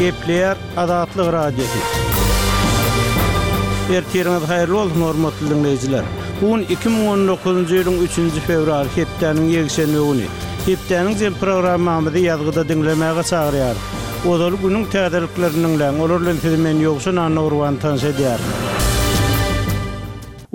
Gepleýär Azatlyk Radiosy. Ertiriňiz haýyrly bolsun, hormatly diňleýjiler! Bu gün 2019-njy ýylyň üçünji fewraly, hepdäniň ýekşenbe güni. Hepdäniň jem programmamyzy ýazgyda diňlemäge çagyrýarys. Ozaly günüň täzeliklerini diňläň, olar bilen sizi men Ýowşan Annagurban tanyş edýärin.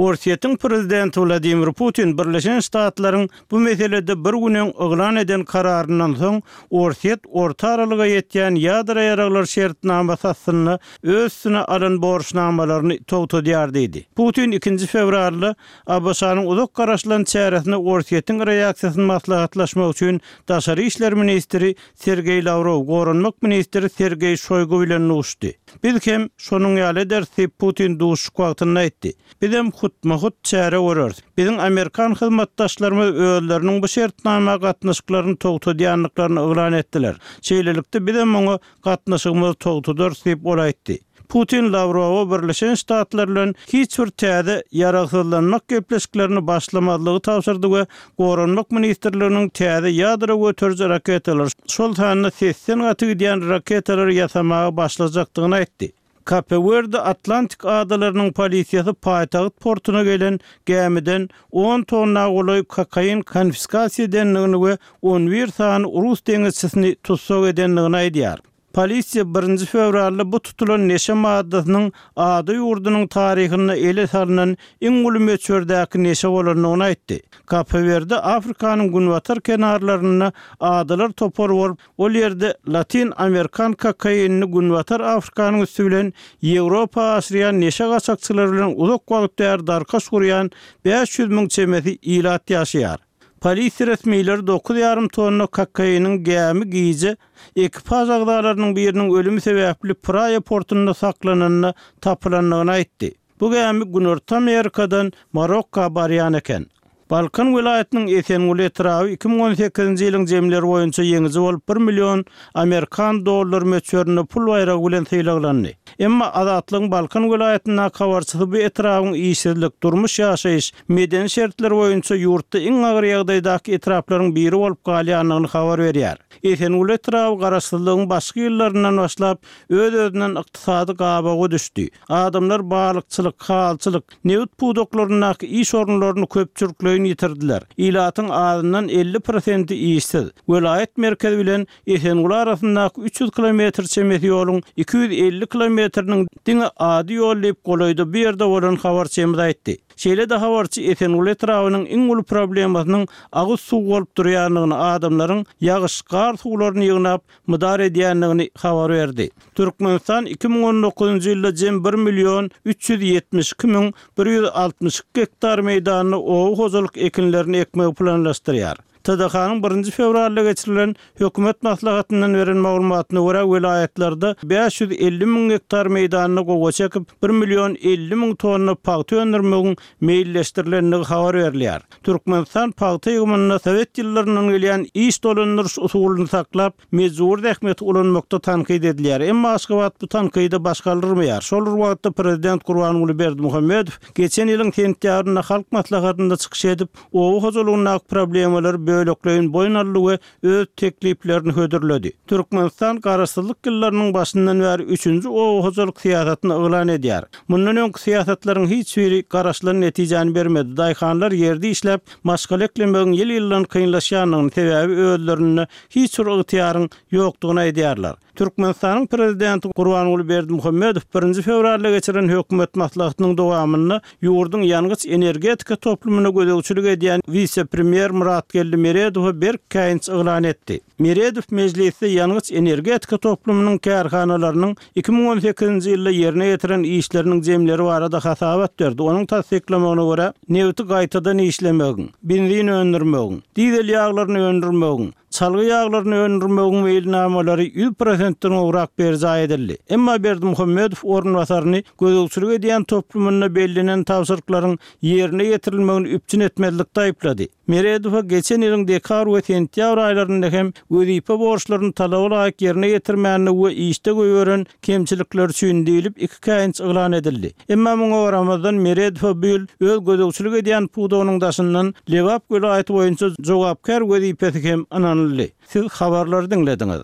Orsýetiň prezidenti Wladimir Putin Birleşen Ştatlaryň bu meselede bir gün öň yglan eden kararyndan soň, Orsýet orta aralyga ýetýän ýadro ýaraglar şertnamasy astynda öz üstüne alan borçnamalaryny togtadýar diýdi. Putin ikinji fewralda ABŞ-nyň uzak garaşylan çäresine Orsýetiň reaksiýasyny maslahatlaşmak üçin daşary işler ministri Sergeý Lawrow, goranmak ministri Sergeý Şoýgu bilen duşdy. Biz hem şonuň ýaly ederis diýip, Putin duşuşyk wagtynda aýtdy. Bizem hutma-hut çäre göreris. Biziň amerikan hyzmatdaşlarymyz özleriniň bu şertnama gatnaşyklaryny togtadýandyklaryny yglan etdiler. Şeýlelikde, bizem oňa gatnaşygymyzy togtadarys diýip, ol aýtdy. Putin Lawrowa Birleşen Ştatlar bilen hiç bir täze ýaragsyzlanmak gepleşiklerini başlamazlygy tabşyrdy we Goranmak ministrliginiň täze ýadro göteriji raketalary, şol sanda sesden gaty gidýän raketalary ýasamaga başlajakdygyny aýtdy. Kape-Werde Atlantik adalarynyň polisiýasy paýtagt portuna gelen gämiden on tonna golaý kokain konfiskasiýa edendigini we on bir sany rus deňizçisini tussag edendigini aýdýar. Polisiýa birinji fewralda bu tutulan neşe maddasynyň ada ýurdunyň taryhynda ele salnan iň uly möçberdäki neşe bolandygyny aýtdy. Kape-Werde Afrikanyň günbatar kenarlarynda adalar topary bolup, ol ýerde latyn amerikan kokainini Günbatar Afrikanyň üsti bilen Ýewropa aşyrýan neşe gaçakçylary bilen uzak wagt bäri darkaş gurýan 500 müň çemesi ilat ýaşaýar. Polisiýa resmileri dokuz ýarym tonna kokainiň gämi gije ekipaž agzalarynyň biriniň ölümi sebäpli Praýa portunda saklananda tapylandygyny aýtdy. Bu gämi Günorta Amerikadan Marokka barýan eken. Balkan welaýatynyň Esenguly etraby 2018-nji ýylyň jemleri boýunça ýeňiji bolup bir million amerikan dollary möçberinde pul baýragy bilen sylaglandy. Emma Azatlygyň Balkan welaýatyndaky habarçysy bu etrabyň işsizlik, durmuş-ýaşaýyş, medeni şertler boýunça ýurtda iň agyr ýagdaýdaky etraplaryň biri bolup galýandygyny habar berýär. Esenguly etraby garaşsyzlygyň başky ýyllaryndan başlap öz-özünden ykdysady gabawa düşdi. Adamlar balykçylyk, halyçylyk, nebit pudaklaryndaky iş orunlaryny köpçülikleýin ýitirdiler. Ilatyň azyndan 50 prosenti işsiz. Welaýat merkezi bilen Esenguly arasyndaky 300 kilometr çemesi ýoluň 250 kilometriniň diňe ady ýol diýip, golaýda bu ýerde bolan habarçymyz aýtdy. Şeýle-de habarçy Esenguly etrabynyň iň uly problemasynyň agyz suwy bolup durýandygyny, adamlaryň ýagyş, gar suwlaryny ýygnap, mydar edýändigini habar berdi. Türkmenistan 2019-njy ýylda jem bir million 372 müň 162 gektar meýdanda oba hojalyk ekinlerini ekmegi planlaşdyrýar. TDH-nyň birinji fewralda geçirilen hökümet maslahatyndan beren maglumatyna görä, welaýatlarda 550 müň gektar meýdanda gowaça ekip, bir million 50 müň tonna pagta öndürmegiň meýilleşdirilendigi habar berilýär. Türkmenistan pagta ýygymynda sowet ýyllaryndan gelýän iş dolandyryş usulyny saklap, mejbury zähmeti ulanmakda tankyt edilýär. Emma Aşgabat bu tankyda baş galdyrmaýar. Şol bir wagtda prezident Gurbanguly Berdimuhamedow geçen ýylyň sentýabrynda Halk Maslahatynda çykyş edip, oba hojalygyndaky problemalary bölekleýin boýun aldy we öz tekliplerini hödürledi. Türkmenistan garaşsyzlyk ýyllarynyň başyndan bäri üçünji oba hojalyk syýasatyny yglan edýär. Mundan öňki syýasatlaryň hiç biri garaşylan netijäni bermedi. Daýhanlar ýerde işläp, maşgala eklemegiň ýyl-ýyldan kynlaşýandygyny, sebäbi özlerinde hiç bir ygtyýaryň ýokdugyny aýdýarlar. Türkmenistanyň Prezidenti Gurbanguly Berdimuhamedow birinji fewralda geçiren hökümet maslahatynyň dowamynda ýurduň ýangyç-energetika toplumyna gözegçilik edýän wise-premýer Myratgeldi Meredowa berk käýinç yglan etdi. Meredow mejlisde ýangyç-energetika toplumynyň kärhanalarynyň 2018-nji ýylda ýerine ýetiren işleriniň jemleri barada hasabat berdi. Onuň tassyklamagyna görä, nebiti gaýtadan işlemegiň, benzin öndürmegiň, dizel ýaglaryny öndürmegiň, Çalgy ýaglaryny öndürmegiň meýilnamalary ýüz prosentden gowrak berjaý edildi. Emma Berdimuhamedow orunbasaryny gözegçilik edýän toplumynda bellenen tabşyryklaryň ýerine ýetirilmegini üpjün etmezlikde aýyplady. Meredowa geçen ýylyň dekabr we sentýabr aýlarynda hem wezipe borçlaryny talaba laýyk ýerine ýetirmändigi we işde goýberen kemçilikleri üçin diýlip iki käýinç yglan edildi. Emma muňa garamazdan, Meredowa bu ýyl öz gözegçilik edýän pudagynyň daşyndan Lebap welaýaty boýunça jogapkär wezipesi hem ynanyldy. Siz habarlary diňlediňiz.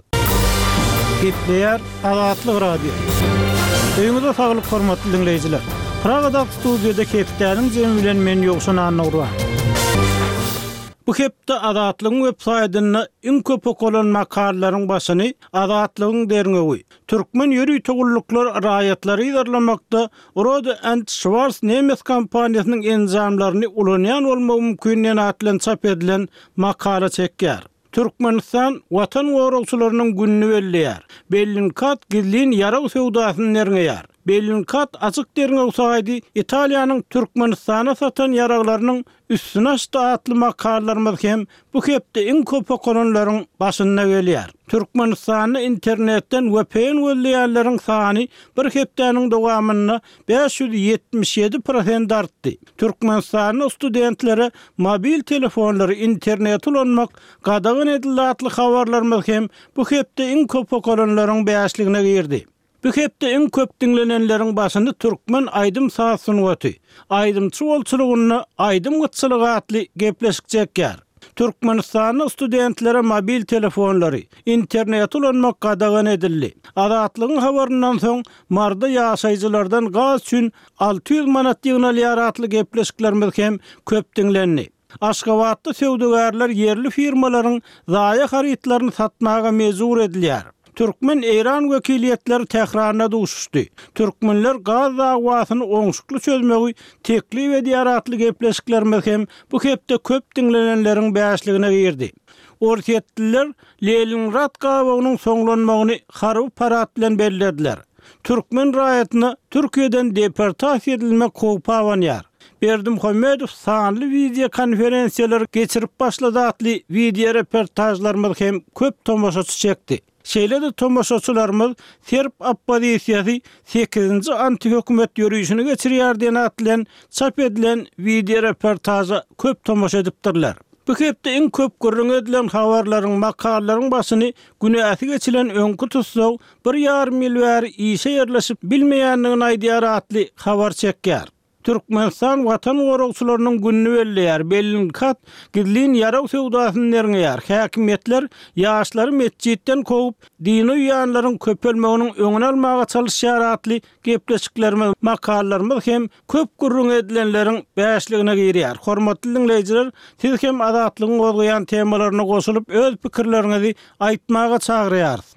Gepleýär Azatlyk Radiosy. Öýüňize saglyk hormatly diňleýjiler. Pragadaky studiýada hepdäniň jemi bilen men Ýowşan Annagurban. Bu hepde Azatlygyň web saýtynda iň köp okalan makalalaryň başyny Azatlygyň derňewi, Türkmen ýörite gulluklar raýatlary yzarlamakda Rohde and Schwarz nemes kompaniýasynyň enjamlaryny ulanýan bolmagy mümkin diýen at bilen çap edilen makala çekýär. Türkmenistan Watan goragçylarynyň gününi belleýär. Bellingcat gizlin ýarag söwdasyny derňeýär. Bellingcat açyk derňew saýdy Italiýanyň Türkmenistana satan ýaraglarynyň üstüni açdy atly makalalarymyz hem bu hepde iň köp okalanlaryň başynda gelýär. Türkmenistanda internetden vpn gözleýänleriň sany bir hepdäniň dowamynda 577 prosent artdy. Türkmenistanda studentlere mobil telefonlary, interneti ulanmak gadagan edildi atly habarlarymyz hem bu hepde iň köp okalanlaryň bäşligine girdi. Bu hepde iň köp diňlenenleriň başyny türkmen aýdym-saz sungaty, aýdymçy bolçulygynda aýdym gytçylygy atly gepleşik çekýär. Türkmenistanda studentlere mobil telefonlary, interneti ulanmak gadagan edildi. Azatlygyň habaryndan soň, Maryda ýaşaýjylardan gaz üçin 600 manat ýygnalýar atly gepleşiklerimiz hem köp diňlendi. Aşgabatda söwdagärler ýerli firmalaryň zaýa harytlaryny satmaga mejbur edilýär. Türkmen-eýran wekiliýetleri Tähranda duşuşdy. Türkmenler gaz dawasyny oňşukly çözmegi teklip edýär atly gepleşiklerimiz hem bu hepde köp diňlenenleriň bäşligine girdi. Orsýetliler Leningrad gabawynyň soňlanmagyny harby parad bilen bellediler. Türkmen raýatyna Türkiýeden deportasiýa edilmek howpy abanýar. Berdimuhamedow sanly wideokonferensiýalary geçirip başlady atly wideoreportažlarymyz hem köp tomaşaçy çekdi. Şeýle-de tomaşaçylarymyz Serb oppozisiýasy sekizinji antihökümet ýörişini geçirýär diýen at bilen çap edilen wideoreportaža köp tomaşa edipdirler. Bu hepde iň köp gürrüňi edilen habarlaryň, makalalaryň başyny günäsi geçilen öňki tussag bir ýarym ýyl bäri işe ýerleşip bilmeýändigini aýdýar atly habar çekýär. Türkmenistan Watan goragçylarynyň gününi belleýär, Bellingcat gizlin ýarag söwdasyny derňeýär, häkimiýetler ýaşlary metjitden kowup, dine uýýanlaryň köpelmeginiň öňüni almaga çalyşýar atly gepleşiklerimiz, makalalarymyz hem köp gürrüňi edilenleriň bäşligine girýär. Hormatly diňleýjiler, siz hem Azatlygyň gozgaýan temalaryna goşulyp, öz pikirleriňizi aýtmaga çagyrýarys.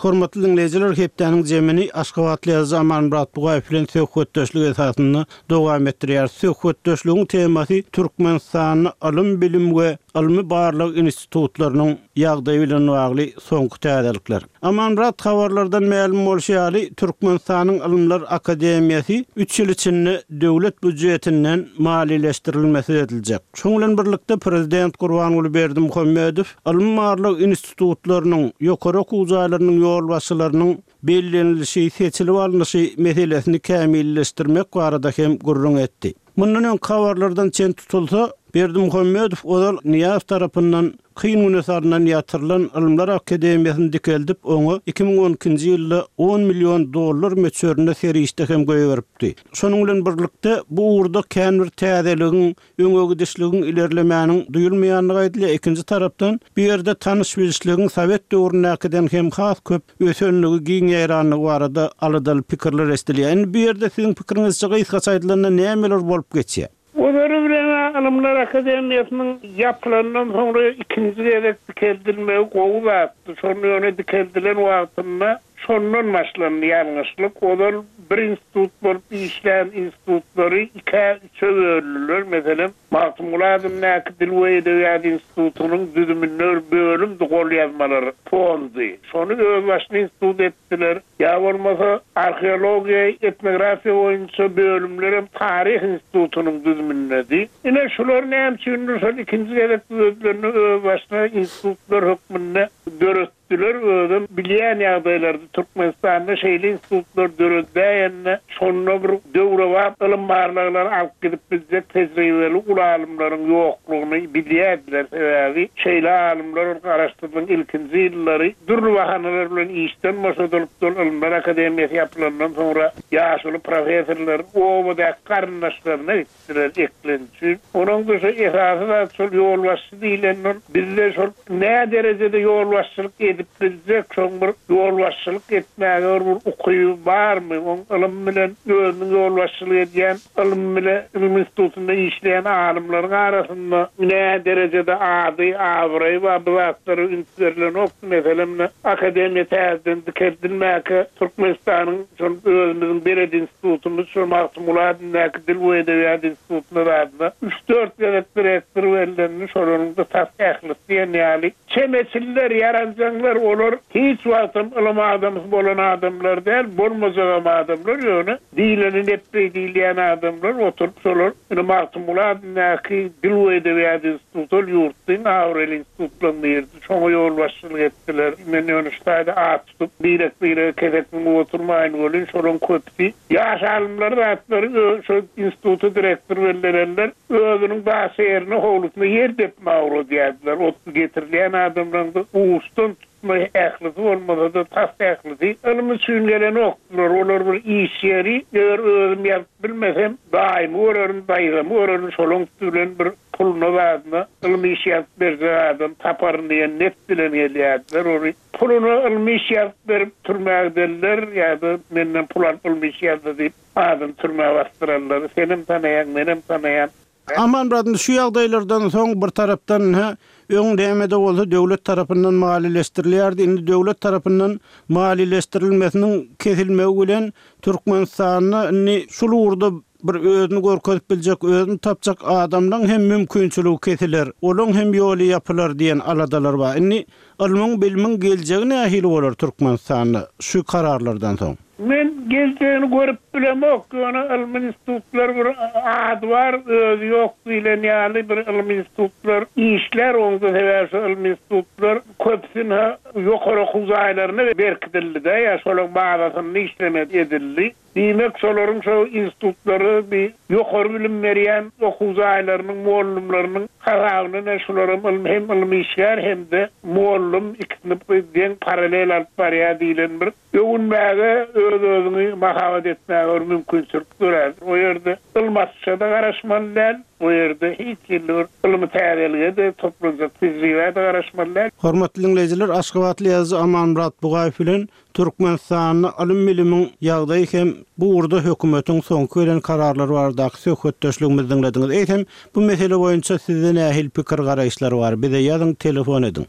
Hormatly diňleýjiler, hepdäniň jemini aşgabatly ýazyjy Amanmyrat Bugaýew bilen söhbetdeşlik esasynda dowam etdirýäris. Söhbetdeşligiň temasy Türkmenistanda ylym-bilim we ylmy-barlag institutlarynyň ýagdaýy bilen bagly soňky täzelikler. Amanmyrat, habarlardan mälim bolşy ýaly, Türkmenistanyň Ylymlar akademiýasy üç ýyl içinde döwlet býujetinden maliýeleşdirilmesiz ediljek. Şonuň bilen birlikde, prezident Gurbanguly Berdimuhamedow ylmy-barlag institutlarynyň, ýokary okuw jaýlarynyň ýolbaşçylarynyň bellenilişi, seçilip alnyşy meselesini kämilleşdirmek barada hem gürrüň etdi. Mundan öňki habarlardan çen tutulsa, Berdimuhamedow ozal Nyýazow tarapyndan kyn güne salnan ýatyrylan Ylymlar akademiýasyny dikeldip, oňa 2012-nji ýylda on million dollar möçberinde serişde hem goýberipdi. Şonuň bilen birlikde, bu ugurda kän bir täzeligiň, öňe gidişligiň, ilerlemäniň duýulmaýandygy aýdylýar. Ikinji tarapdan, bu ýerde tanyş-bilişligiň sowet döwründäkiden hem has köp ösenligi, giň ýaýranlygy barada aladaly pikirler eşidilýär. Indi bu ýerde siziň pikiriňizçe gysgaça aýdylanda nämeler bolup geçýär? Ozaly bilen-ä Ylymlar akademiýasynyň ýapylandan soňra ikinji gezek dikeldilmegi gowy zatdy. Şonda ýöne dikeldilen wagtynda şondan başlandy ýalňyşlyk. Ozal bir institut bolup işlän institutlary ikä, üçe böldüler. Meselem, Magtymguly adyndaky Dil we edebiýat institutynyň düzüminde bir bölümdi golýazmalar fondy. Şony özbaşyna institut etdiler. Ýa bolmasa, arheologiýa, etnografiýa boýunça bölümlerem Taryh institutynyň düzümindedi. Ine, şular näme üçindir şol ikinji gezek düzedilende özbaşyna institutlar hökmünde döretdiler. Döretdiler, özem bilýän ýagdaýlarda Türkmenistanda şeýle institutlar döredäýende şonda bir döwrebap ylym barlaglary alyp gidip biljek tejribeli uly alymlaryň ýoklugyny bilýärdiler, sebäbi şeýle alymlar ol garaşsyzlygyň ilkinji ýyllary dürli bahanalar bilen işden boşadylypdy, ol Ylymlar akademiýasy ýapylandan soňra ýaşuly professorlar obadaky garyndaşlaryna gitdiler eklenç üçin. Onuň şu esasy zat şol ýolbaşçy diýlenden bizde şol nä derejede ýolbaşçylyk edip biljek, şoň bir ýolbaşçylyk etmäge bir bir ukyby barmy, oň ylym bilen özüniň ýolbaşçylyk edýän ylym bile ylym institutynda işleýän alymlaryň arasynda nä derejede ady, abraýy bar bu zatlara üns berlenokdy. Meselem, ine, akademiýa täzeden dikeldilmäkä Türkmenistanyň şol özümiziň belet institutymyz şol Magtymguly adyndaky Dil we edebiýat institutyna zadyna üç-dört gezek direktor bellendi, şolaryň-da tas ählisi diýen ýaly çemeçiller, ýaranjaňlar, olar hiç wagtam ylym adamsy bolan adamlar däl, bolmajagam adamlar, ýöne diýleni nepbeý diýilýän adamlar oturyp şolar ine Magtymguly adyndaky Dil we edebiýat instituty ol ýurtda iň abraýly institutlaryň biridi, şoňa ýolbaşçylyk etdiler. Men ýöne şu taýda at tutup, birek-birege kesek müňüp oturmaýyn welin, şolaryň köpüsi ýaş alymlar zatlary şo instituta direktor bellenenler özüniň daşy ýerine howlusyna ýer depmäge ugradýardylar. Ot getirilýän adamlaryň-da uçdan tutma ählisi bolmasa-da tas ählisi ylym üçin gelenokdylar. Olar bir iş ýeri, eger özüm ýazyp bilmesem, daýymy görerin, daýzamy görerin, şolaň üsti bilen bir puluna zadyna ylmy iş ýazyp berjek adam taparyn diýen net bilen gelýärdiler. Ony Puluna ylmy iş ýazyp berip türmä gidenler ýa-da menden pul alyp ylmy iş ýazdy diýip adyny türmä basdyranlary senem tanaýaň, menem tanaýan. Amanmyrat indi şu ýagdaýlardan soň bir tarapdan ynha öň näme-de bolsa döwlet tarapyndan maliýeleşdirilýärdi, indi döwlet tarapyndan maliýeleşdirilmesiniň kesilmegi bilen Türkmenistanda indi şul ugurda Bir özüni görkezip biljek, özüni tapjak adamlaň hem mümkinçiligi kesiler, olaň hem ýoly ýapylar diýen aladalar bar. Indi ylmyň, bilimiň geljegi nähili bolar Türkmenistanda şu kararlardan soň? Men geljegini görüp bilemok, ýöne ylmy institutlar bir ady bar, özi ýok diýlen ýaly bir ylmy institutlar işlär, oňda sebäbi şu ylmy institutlar köpüsini ýokary okuw jaýlaryna berkidildi-de, ýa şolaň bazasynda işlemek edildi. Diýmek, şolaryň şo institutlary bi ýokary bilim berýän okuw jaýlarynyň mugallymlarynyň hasabyna ine şularam ylmy hem ylmy işgär hem-de mugallym ikisini deň paralel alyp barýar diýlen bir öwünmäge öz-özüňi mahabat etmäge bir mümkinçilik dörär. O ýerde ylmy açyşa-da garaşmaly däl, o ýerde hiç hili bir ylmy täzelige-de, toplanjak tejribä-de garaşmaly däl. Hormatly diňleýjiler, aşgabatly ýazyjy Amanmyrat Bugaýew bilen Türkmenistanda ylym-bilimiň ýagdaýy hem bu ugurda hökümetiň soňky gelen kararlary baradaky söhbetdeşligimizi diňlediňiz. Eýsem, bu mesele boýunça sizde nähili pikir-garaýyşlar bar? Bize ýazyň, telefon ediň.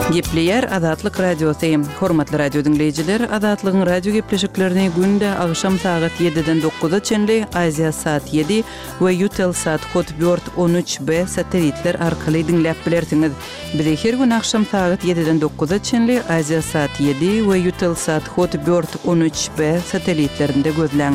Gepleýär Azatlyk Radiosy. Hormatly radio diňleýjiler, Azatlygyň radio gepleşiklerini günde agşam sagat ýediden dokuza çenli Aziasat ýedi we Eutelsat Hotbird 13 B satelitler arkaly diňläp bilersiňiz. Bizi her gün agşam sagat ýediden dokuza çenli Aziasat ýedi we Eutelsat Hot Bird 13 B satelitlerinde gözläň.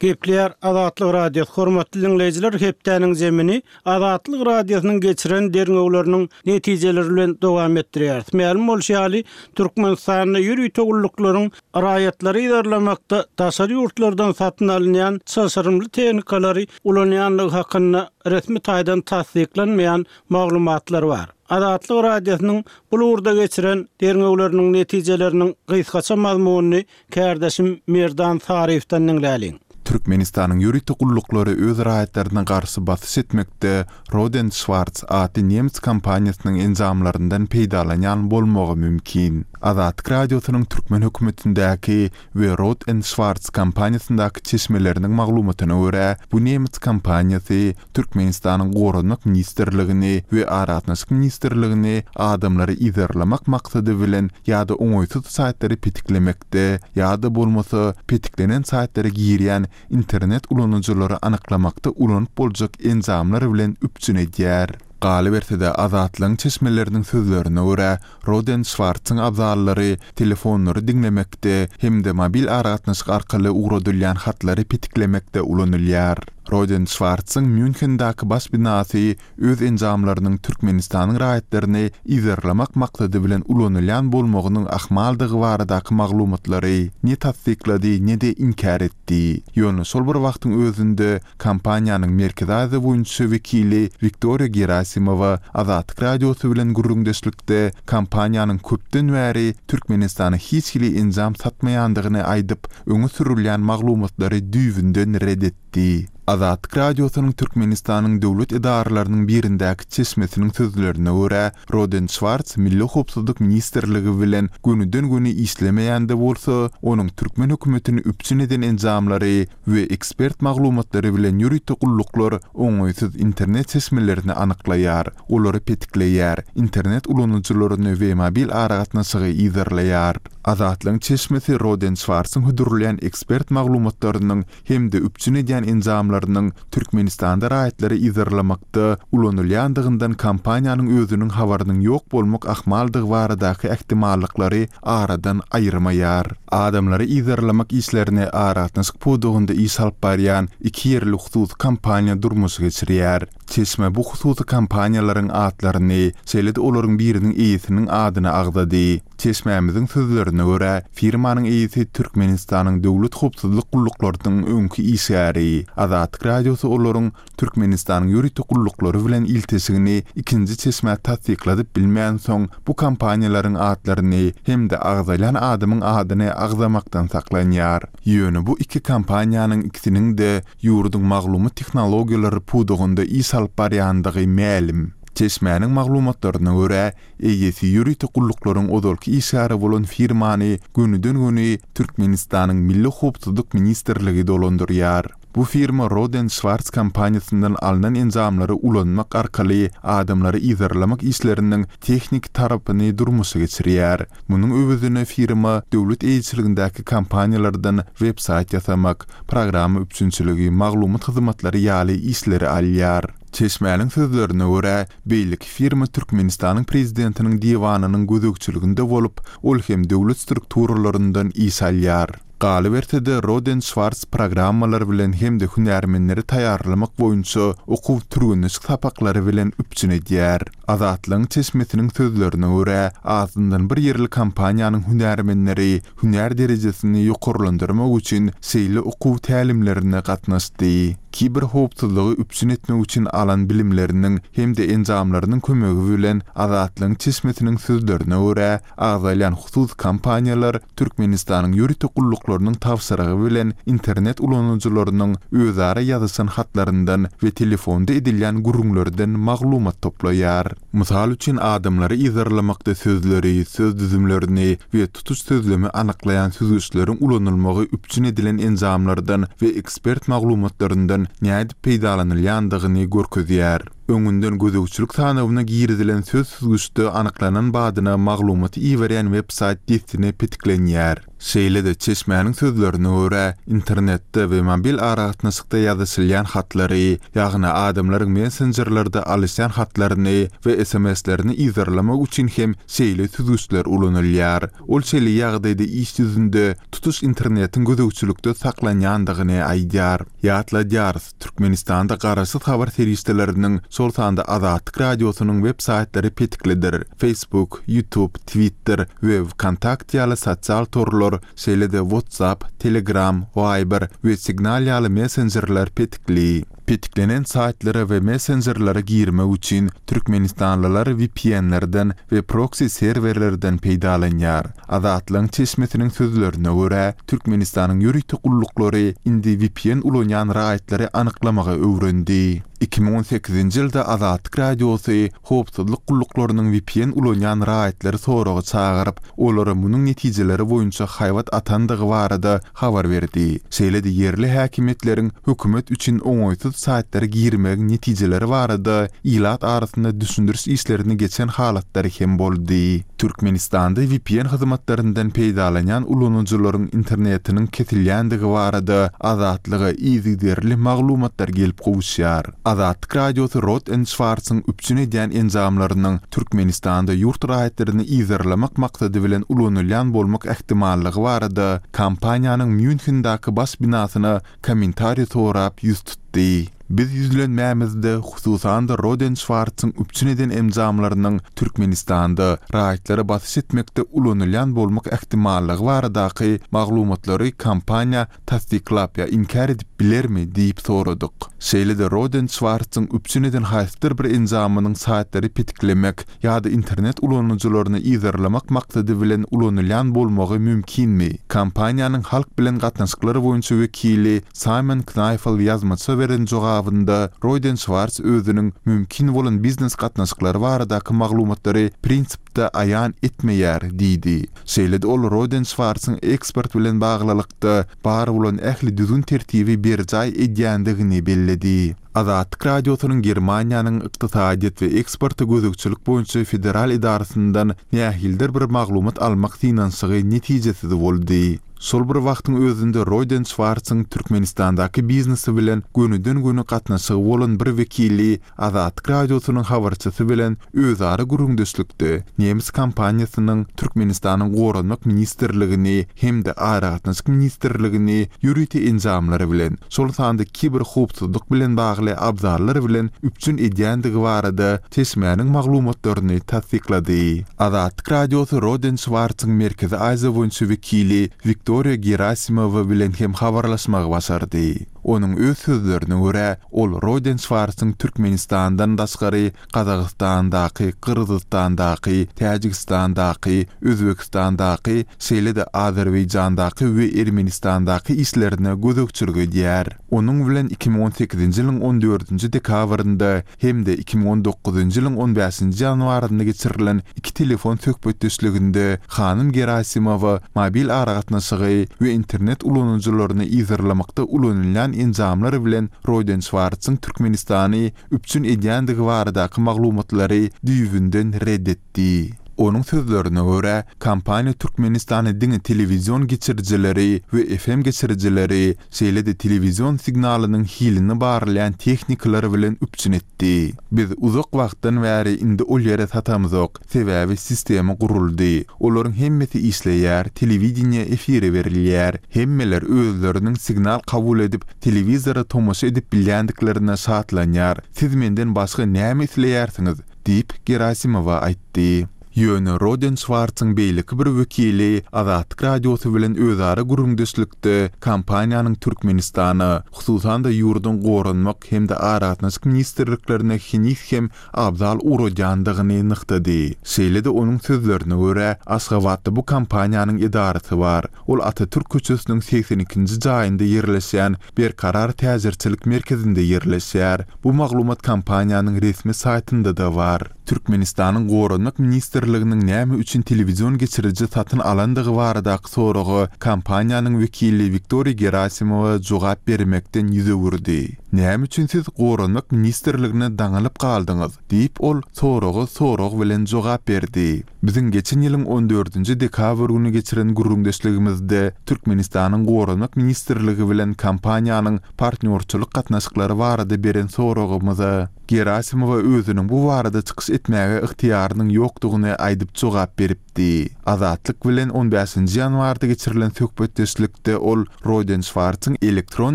Gepleýär Azatlyk Radiosy Hormatly diňleýjiler hepdäniň zemini Azatlyk Radiosynyň geçiren derňewleriniň netijeleri bilen dowam etdirýäris. Mälim bolşy ýaly, Türkmenistanda ýörite gulluklaryň raýatlary yzarlamakda daşary ýurtlardan satyn alynýan çylşyrymly tehnikalary ulanýandygy hakynda resmi taýdan tassyklanmaýan maglumatlar bar. Azatlyk Radiosynyň bul ugurda geçiren derňewleriniň netijeleriniň gysgaça mazmunyny kärdeşim Merdan Saryýewden diňläliň. Türkmenistanyň ýörite gulluklary öz raýatlaryna garşy basyş etmekde Rohde Schwarz atly nemes kompaniýasynyň enjamlaryndan peýdalanýan bolmagy mümkin. Azatlyk Radiosynyň türkmen hökümetindäki we Rohde Schwarz kompaniýasyndaky çeşmeleriniň maglumatyna görä, bu nemes kompaniýasy Türkmenistanyň Goranmak ministrligini we Aragatnaşyk ministrligini adamlary yzarlamak maksady bilen ýa-da oňaýsyz saýtlary petiklemekde ýa-da bolmasa petiklenen saýtlara girýän internet ulanyjylary anyklamakda ulanyp boljak enjamlar bilen üpjün edýär. Galyberse-de, Azatlygyň çeşmeleriniň sözlerine görä, Roden Şwartsyň abzallary telefonlary diňlemekde hem-de mobil aragatnaşyk arkaly ugradylýan hatlary petiklemekde ulanylýar. Roden Şwartzyň Mýunhendäki baş binasy öz enjamlarynyň Türkmenistanyň raýatlaryny yzarlamak maksady bilen ulanylýan bolmagynyň ahmaldygy baradaky maglumatlary ne tassyklady, ne-de inkär etdi. Ýöne şol bir wagtyň özünde kompaniýanyň Merkezi Aziýa boýunça wekili Wiktoriýa Gerasimowa Azatlyk Radiosy bilen gürrüňdeşlikde kompaniýanyň köpden bäri Türkmenistana hiç hili enjam satmaýandygyny aýdyp, öňe sürülýän maglumatlary düýbünden ret etdi. Azatlyk Radiosynyň Türkmenistanyň döwlet edaralarynyň birindäki çeşmesiniň sözlerine görä, Roden Şwarts Milli howpsuzlyk ministrligi bilen gönüden-göni işlemeýän-de bolsa, onuň türkmen hökümetini üpjün eden enjamlary we ekspert maglumatlary bilen ýörite gulluklar oňaýsyz internet çeşmelerini anyklaýar, olary petikleýär, internet ulanyjylaryny we mobil aragatnaşygy yzarlaýar. Azatlygyň çeşmesi Roden Şwarsyň hödürleýän ekspert maglumatlarynyň hem-de üpjün edýän enjamlarynyň Türkmenistanda raýatlary yzarlamakda ulanylýandygyndan kompaniýanyň özüniň habarynyň ýok bolmak ahmaldygy baradaky ähtimallyklary aradan aýyrmaýar. Adamlary yzarlamak işlerini aragatnaşyk pudagynda iş alyp barýan iki ýerli hususy kompaniýa durmuşa geçirýär. Çeşme bu hususy kompaniýalaryň atlaryny, şeýle-de olaryň biriniň eýesiniň adyny agzady. Çeşmämiziň sözlerine görä, firmanyň eýesi Türkmenistanyň döwlet howpsuzlyk gulluklarynyň öňki işgäri. Azatlyk Radiosy olaryň Türkmenistanyň ýörite gulluklary bilen ilteşigini ikinji çeşmä tassykladyp bilmänsoň, bu kompaniýalaryň atlaryny hem-de agzalýan adamyň adyny agzamakdan saklanýar. Ýöne bu iki kompaniýanyň ikisiniň-de ýurduň maglumat tehnologiýalary pudagynda iş alyp barýandygy mälim. Çeşmäniň maglumatlaryna görä, eýesi ýörite gulluklaryň ozalky işgäri bolan firmany gönüden-göni Türkmenistanyň Milli howpsuzlyk ministrligi dolandyrýar. Bu firma Roden Şwarts kompaniýasyndan alnan enjamlary ulanmak arkaly adamlary yzarlamak işleriniň tehniki tarapyny durmuşa geçirýär. Munuň öwezine firma döwlet eýeçiligindäki kompaniýalardan web-saýt ýasamak, programma üpjünçiligi, maglumat hyzmatlary ýaly işleri alýar. Çeşmäniň sözlerine görä, beýleki firma Türkmenistanyň Prezidentiniň diwanynyň gözegçiliginde bolup, ol hem döwlet strukturalaryndan iş alýar. Galyberse-de, Roden Şwarts programmalar bilen hem-de hünärmenleri taýýarlamak boýunça okuw-türgenleşik sapaklary bilen üpjün edýär. Azatlygyň çeşmesiniň sözlerine görä, azyndan bir ýerli kompaniýanyň hünärmenleri hünär derejesini ýokarlandyrmak üçin şeýle okuw tälimlerine gatnaşdy. Kiberhowpsuzlygy üpjün etmek üçin alan bilimleriniň hem-de enjamlarynyň kömegi bilen, Azatlygyň çeşmesiniň sözlerine görä, agzalýan hususy kompaniýalar Türkmenistanyň ýörite gulluklarynyň tabşyrygy bilen internet ulanyjylarynyň özara ýazyşan hatlaryndan we telefonda edilýän gürrüňlerden maglumat toplaýar. Mysal üçin, adamlary yzarlamakda sözleri, söz düzümlerini we tutuş sözlemi anyklaýan süzgüçleriň ulanylmagy üpjün edilen enjamlardan we ekspert maglumatlaryndan nädip peýdalanylýandygyny görkezýär. Öňünden gözegçilik sanawyna girizilen söz süzgüçde anyklanan badyna maglumaty iberýän web-saýt dessine petiklenýär. Şeýle-de, çeşmäniň sözlerine görä, internetde we mobil aragatnaşykda ýazyşylýan hatlary, ýagny adamlaryň messenjerlerde alyşýan hatlaryny we sms-lerini yzarlamak üçin hem şeýle süzgüçler ulanylýar. Ol şeýle ýagdaýda iş ýüzünde tutuş internetiň gözegçilikde saklanýandygyny aýdýar. Ýatladýarys, Türkmenistanda garaşsyz habar serişdeleriniň, şol sanda Azatlyk Radiosynyň web saýtlary petiklidir. Facebook, YouTube, Twitter we Wkontakte ýaly sosial torlar, şeýle-de WhatsApp, Telegram, Viber we Signal ýaly messenjerler petikli. Petiklenen saýtlara we messenjerlere girmek üçin türkmenistanlylar VPN-lerden we proksi serwerlerden peýdalanýar. Azatlygyň çeşmesiniň sözlerine görä, Türkmenistanyň ýörite gulluklary indi vpn ulanýan raýatlary anyklamagy öwrendi. 2018-nji ýylda Azatlyk Radiosy howpsuzlyk gulluklarynyň vpn ulanýan raýatlary soraga çagyryp, olara munuň netijeleri boýunça haýbat atandygy barada habar berdi. Şeýle-de ýerli häkimiýetleriň hökümet üçin oňaýsyz saýtlara girmegiň netijeleri barada ilat arasynda düşündiriş işlerini geçen halatlary hem boldy. Türkmenistanda vpn hyzmatlaryndan peýdalanýan ulanyjylaryň internetiniň kesilýändigi barada Azatlyga yzygiderli maglumatlar gelip gowuşýar. Azatlyk Radiosy Roth and Schwarz-yň üpjün edýän enjamlarynyň Türkmenistanda ýurt raýatlaryny yzarlamak maksady bilen ulanylýan bolmak ähtimallygy barada kompaniýanyň Mýunhendäki baş binasyna kommentariý sorap ýüz tutdy. Biz ýüzlenmämizde, hususan-da Roth and Schwarz-yň üpjün eden enjamlarynyň Türkmenistanda raýatlara basyş etmekde ulanylýan bolmak ähtimallygy baradaky maglumatlary kompaniýa tassyklap ýa inkär edip bilermi diýip soradyk. Şeýle-de Roden Şwartzyň üpjün eden haýsydyr bir enjamynyň saýtlary petiklemek ýa-da internet ulanyjylaryny yzarlamak maksady bilen ulanylýan bolmagy mümkinmi? Kompaniýanyň halk bilen gatnaşyklar boýunça wekili Saýmon Knaýfel ýazmaça beren jogabynda Roden Şwartz özüniň mümkin bolan biznes gatnaşyklary baradaky maglumatlary prinsipde aýan etmeýär diýdi. Şeýle-de ol Roden Şwarsyň eksport bilen baglylykda bar bolan ähli düzgün-tertibi berjaý edýändigini belledi. Azatlyk Radiosynyň Germaniýanyň Ykdysadyýet we eksporta gözegçilik boýunça federal edarasyndan nähilidir bir maglumat almak synanyşygy netijesiz boldy. Şol bir wagtyň özünde Roden Şwarsyň Türkmenistandaky biznesi bilen gönüden-göni gatnaşygy bolan bir wekili Azatlyk Radiosynyň habarçysy bilen özara gürrüňdeşlikde nemes kompaniýasynyň Türkmenistanyň Goranmak ministrligini hem-de Aragatnaşyk ministrligini ýörite enjamlar bilen, şol sanda kiberhowpsuzlyk bilen bagly abzallar bilen üpjün edýändigi barada çeşmäniň maglumatlaryny tassyklady. Azatlyk Radiosy Roden Şwartzyň Merkezi Aziýa boýunça wekili Wiktoriýa Gerasimowa bilen hem habarlaşmagy başardy. Onuň öz sözlerine görä, ol Roden Şwarsyň Türkmenistandan daşgary Gazagystandaky, Gyrgyzystandaky, Täjigistandaky, Özbegistandaky, şeýle-de Azerbaýjandaky we Ermenistandaky işlerine gözegçilik edýär. Onuň bilen 2018-nji ýylyň on dördünji dekabrynda hem-de 2019-njy ýylyň on bäşinji ýanwarynda geçirilen iki telefon söhbetdeşliginde hanym Gerasimowa mobil aragatnaşygy we internet ulanyjylaryny yzarlamakda ulanylýan enjamlar bilen Roýden Şwartzyň Türkmenistany üpjün edýändigi baradaky maglumatlary düýbünden ret etdi. Onuň sözlerine görä, kompaniýa Türkmenistana diňe telewizion geçirijileri we FM geçirijileri, şeýle-de telewizion signalynyň hilini barlaýan tehnikalar bilen üpjün etdi. Biz uzak wagtdan bäri indi ol ýere satamzok, sebäbi sistema guruldy. Olaryň hemmesi işleýär, telewideniýe efire berilýär. Hemmeler özleriniň signal kabul edip, telewizora tomaşa edip bilýändiklerine şatlanýar. Siz menden başga näme isleýärsiňiz? diýip, Gerasimowa aýtdy. Ýöne Roden Şwartzyň beýleki bir wekili Azatlyk Radiosy bilen özara gürrüňdeşlikde kompaniýanyň Türkmenistana, hususan-da ýurduň Goranmak hem-de Aragatnaşyk ministrliklerine heniz hem abzal ugradýandygyny nygtady. Şeýle-de onuň sözlerine görä, Aşgabatda bu kompaniýanyň edarasy bar. Ol Atatürk köçesiniň 82-nji jaýynda ýerleşýän Berkarar täjirçilik merkezinde ýerleşýär. Bu maglumat kompaniýanyň resmi saýtynda-da bar. Türkmenistanyň Goranmak ministrliginiň näme üçin telewizion geçiriji satyn alandygy baradaky soraga kompaniýanyň wekili Wiktoriýa Gerasimowa jogap bermekden ýüz öwürdi. Näme üçin siz Goranmak ministrligine daňylyp galdyňyz? diýip, ol soraga sorag bilen jogap berdi. Biziň geçen ýylyň on dördünji dekabr güni geçiren gürrüňdeşligimizde Türkmenistanyň Goranmak ministrligi bilen kompaniýanyň partnýorçylyk gatnaşyklary barada beren soragymyza Gerasimowa özüniň bu barada çykyş etmäge ygtyýarynyň ýokdugyny aýdyp jogap beripdi. Azatlyk bilen on bäşinji ýanwarda geçirilen söhbetdeşlikde ol Roden Şwartsyň elektron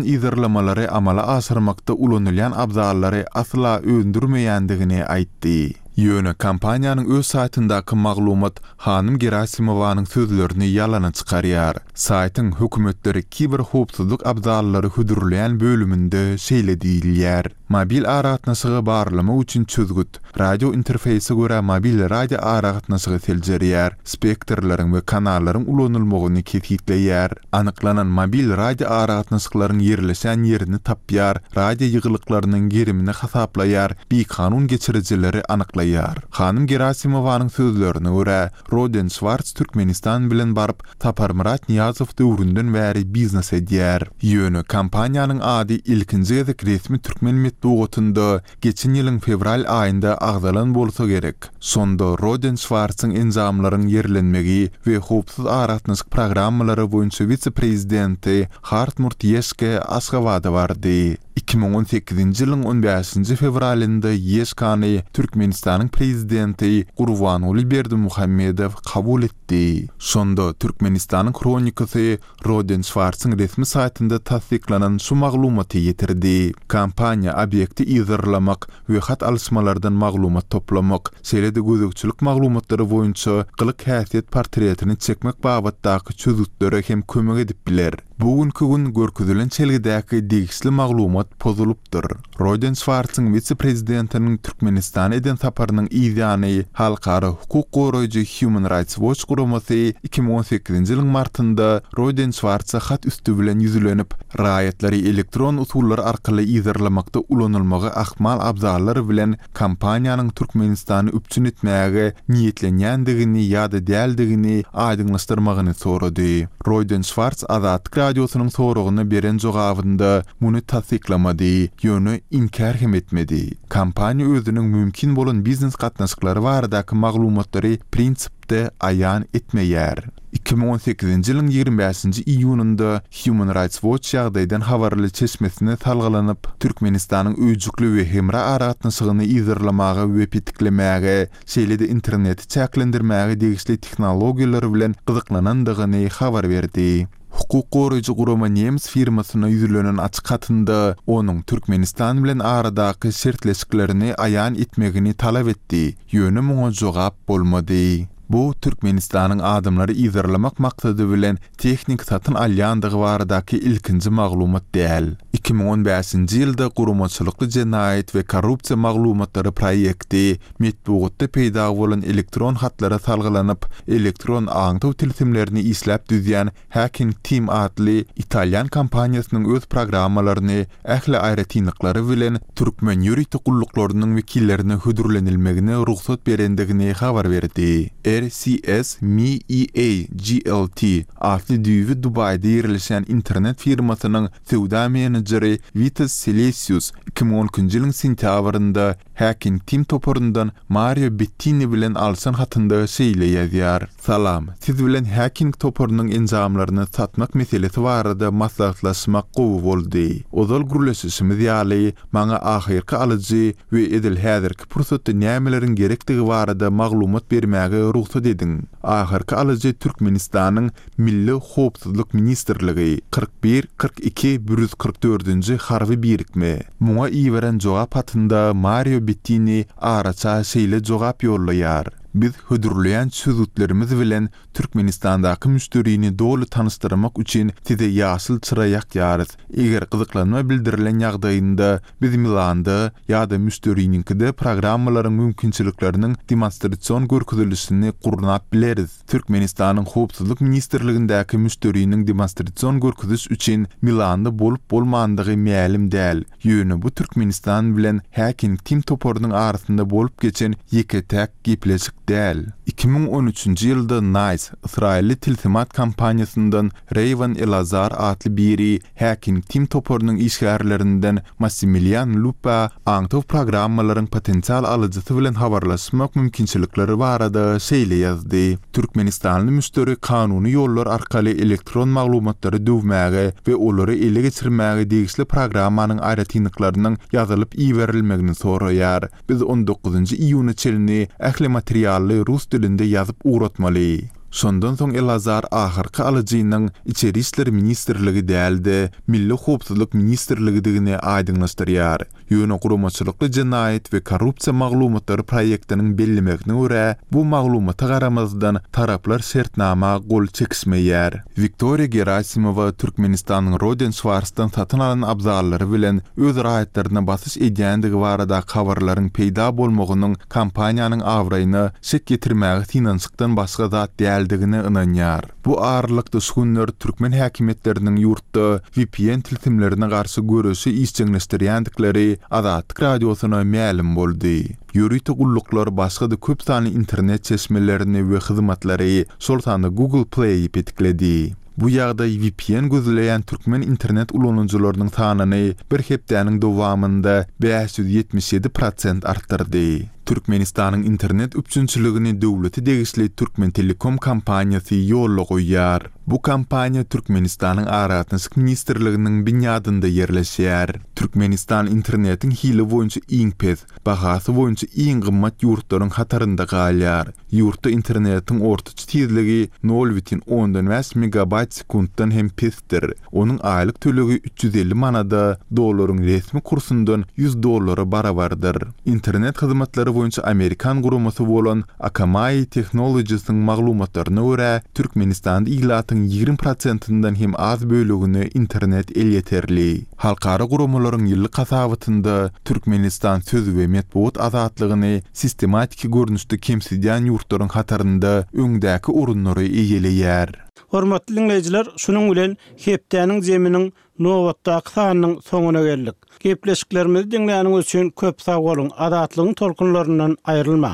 yzarlamalary amala aşyrmakda ulanylýan abzallary asla öndürmeýändigini aýtdy. Ýöne kompaniýanyň öz saýtyndaky maglumat hanym Gerasimowanyň sözlerini ýalana çykarýar. Saýtyň hökümetlere kiberhowpsuzlyk abzallary hödürleýän bölüminde şeýle diýilýär. Mobil aragatnaşygy barlamak üçin çözgüt, radio interfeýse görä mobil radio aragatnaşygy seljerýär, spektrleriň we kanallaryň ulanylmagyny kesgitleýär, anyklanan mobil radio aragatnaşyklaryň ýerleşen ýerini tapýar, radio ýygylyklarynyň gerimini hasaplaýar, bikanun geçirijileri anyklaýar. Hanym Gerasimowanyň sözlerine görä, Roden Şwarts Türkmenistan bilen baryp, Saparmyrat Nyýazow döwründen bäri biznes edýär. Ýöne kompaniýanyň ady ilkinji gezek resmi türkmen metbugatynda geçen ýylyň fewral aýynda agzalan bolsa gerek. Şonda Roden Şwartsyň enjamlaryň ýerlenmegi we howpsuz aragatnaşyk programmalary boýunça wise-prezidenti Hartmut Ýeşke Aşgabada bardy. 2018-nji ýylyň on bäşinji fewralynda Ýeşkany Türkmenistanyň Prezidenti Gurbanguly Berdimuhamedow kabul etdi. Şonda Türkmenistanyň Hronikasy Roden Şwarsyň resmi saýtynda tassyklanan şu maglumaty ýetirdi. Kompaniýa obýekti yzarlamak we hat alyşmalardan maglumat toplamak, şeýle-de gözegçilik maglumatlary boýunça gylyk-häsiýet portretini çekmek babatdaky çözgütlere hem kömek edip biler. Bu günki gün görkezilen çelgidäki degişli maglumat pozulypdyr. Roden Şwarsyň wise-prezidentiniň Türkmenistana eden saparynyň yz ýany halkara hukuk goraýjy Human Rights Watch guramasy 2018-nji ýylyň martynda Roden Şwarsa hat üsti bilen ýüzlenip, raýatlary elektron usullar arkaly yzarlamakda ulanylmagy ahmal abzallar bilen kompaniýanyň Türkmenistany üpjün etmäge niýetlenýändigini ýa-da däldigini aýdyňlaşdyrmagyny sorady. Roýden Şwarts Azatlyk Radiosynyň soragyna beren jogabynda muny tassyklamady, ýöne inkär hem etmedi. Kompaniýa özüniň mümkin bolan biznes gatnaşyklary baradaky maglumatlary prinsipde aýan etmeýär. 2018-nji ýylyň 25-nji iýunynda Human Rights Watch ýagdaýdan habarly çeşmesine salgylanyp, Türkmenistanyň öýjükli we hemra aragatnaşygyny yzarlamaga we petiklemäge, şeýle-de interneti çäklendirmäge degişli tehnologiýalar bilen gyzyklanandygyny habar berdi. Hukuk goraýjy gurama nemes firmasyna ýüzlenen açyk hatynda onuň Türkmenistan bilen aradaky şertleşiklerini aýan etmegini talap etdi, ýöne muňa jogap bolmady. Bu Türkmenistanyň adamlary yzarlamak maksady bilen tehnik satyn alýandygy baradaky ilkinji maglumat däl. 2015-nji ýylda Guramaçylykly jenaýat we korrupsiýa maglumatlary proýekti metbugatda peýda bolan elektron hatlara salgylanyp, elektron aňtaw tilsimlerini işläp düzýän Hacking Team atly italýan kompaniýasynyň öz programmalaryny ähli aýratynlyklary bilen türkmen ýörite gulluklarynyň wekillerine hödürlenilmegine rugsat berendigini habar berdi. RCS MEA GLT atly düýbi Dubaýda ýerleşýän internet firmasynyň söwda menejeri Witas Selesius 2012-nji ýylyň sentýabrynda Hacking Team toparyndan Mario Bettini bilen alşan hatynda şeýle ýazýar, Salam, siz bilen Hacking toparynyň enjamlaryny satmak meselesi barada maslahatlaşmak gowy boldy. Ozal gürleşişimiz ýaly, maňa ahyrky alyjy we edil häzirki pursatda nämeleriň gerekdigi barada maglumat bermäge rugsat ediň. Ahyrky alyjy Türkmenistanyň Milli howpsuzlyk ministrligi, 41, 42, 144-nji harby birikme. Muňa iberen jogap hatynda Mario Bettini araça şeýle jogap ýollaýar, Biz hödürleýän çözgütlerimiz bilen Türkmenistandaky müşderini doly tanyşdyrmak üçin size ýaşyl çyra ýakýarys. Eger gyzyklanma bildirilen ýagdaýynda, biz Milanda ýa-da müşderiniňkide programmalaryň mümkinçilikleriniň demonstrasion görkezilişini gurnap bileris. Türkmenistanyň Howpsuzlyk ministrligindäki müşderiniň demonstrasion görkeziş üçin Milanda bolup-bolmandygy mälim däl, ýöne bu Türkmenistan bilen Hacking Team toparynyň arasynda bolup geçen ýeke-täk gepleşik däl. 2013-nji ýylda Nice ysraýylly tilsimat kompaniýasyndan Reýwan Elazar atly biri Hacking Team toparynyň işgärlerinden Massimilian Lupa aňtaw programmalaryň potensial alyjysy bilen habarlaşmak mümkinçilikleri barada şeýle ýazdy, Türkmenistanly müşderi kanuny ýollar arkaly elektron maglumatlary döwmäge we olary ele geçirmäge degişli programmanyň aýratynlyklarynyň ýazylyp iberilmegini soraýar. Biz on dokuzynjy iýuna çenli ähli materially rus dilinde ýazyp ugratmaly. Şondan soň Elazar ahyrky alyjynyň Içeri işler ministrligi däl-de, Milli howpsuzlyk ministrligidigini aýdyňlaşdyrýar. Ýöne Guramaçylykly jenaýat we korrupsiýa maglumatlary proýektiniň bellemegine görä, bu maglumata garamazdan, taraplar şertnama gol çekişmeýär. Wiktoriýa Gerasimowa Türkmenistanyň Roden Şwarsdan satyn alan abzallary bilen öz raýatlaryna basyş edýändigi baradaky habarlaryň peýda bolmagynyň kompaniýanyň abraýyna şek ýetirmäge synanyşykdan başga zat däldigine ynanýar. Bu aralykda şu günler türkmen häkimiýetleriniň ýurtda vpn tilsimlerine garşy göreşi işjeňleşdirýändikleri Azatlyk Radiosyna mälim boldy. Ýörite gulluklar başga-da köp sanly internet çeşmelerini we hyzmatlary, şol sanda Google Play-i petikledi. Bu ýagdaý vpn gözleýän türkmen internet ulanyjylarynyň sanyny bir hepdäniň dowamynda 577 prosent artdyrdy. Türkmenistanyň internet üpjünçiligini döwlete degişli Türkmentelekom kompaniýasy ýola goýýar. Bu kompaniýa Türkmenistanyň Aragatnaşyk ministrliginiň binýadynda ýerleşýär. Türkmenistan internetiň hili boýunça iň pes, bahasy boýunça iň gymmat ýurtlaryň hatarynda galýar. Ýurtda internetiň ortaça tizligi nol bütin ondan bäş megabaýt sekuntdan hem pesdir. Onuň aýlyk tölegi 350 manada, dollaryň resmi kursundan 100 dollara barabardyr. Internet hyzmatlary boýunça amerikan guramasy bolan Akamai Technologies-iň maglumatlaryna görä, Türkmenistanda ilatyň 20 prosentinden hem az bölegine internet elýeterli. Halkara guramalaryň ýyllyk hasabatynda Türkmenistan söz we metbugat azatlygyny sistematiki görnüşde kemsidýän ýurtlaryň hatarynda öňdäki orunlary eýeleýär. Hormatly diňleýjiler, şunuň bilen hepdäniň zeminiň nobatdaky sanynyň soňuna geldik. Gepleşiklerimizi diňläniňiz üçin köp sag boluň, Azatlygyň tolkunlaryndan aýrylmaň!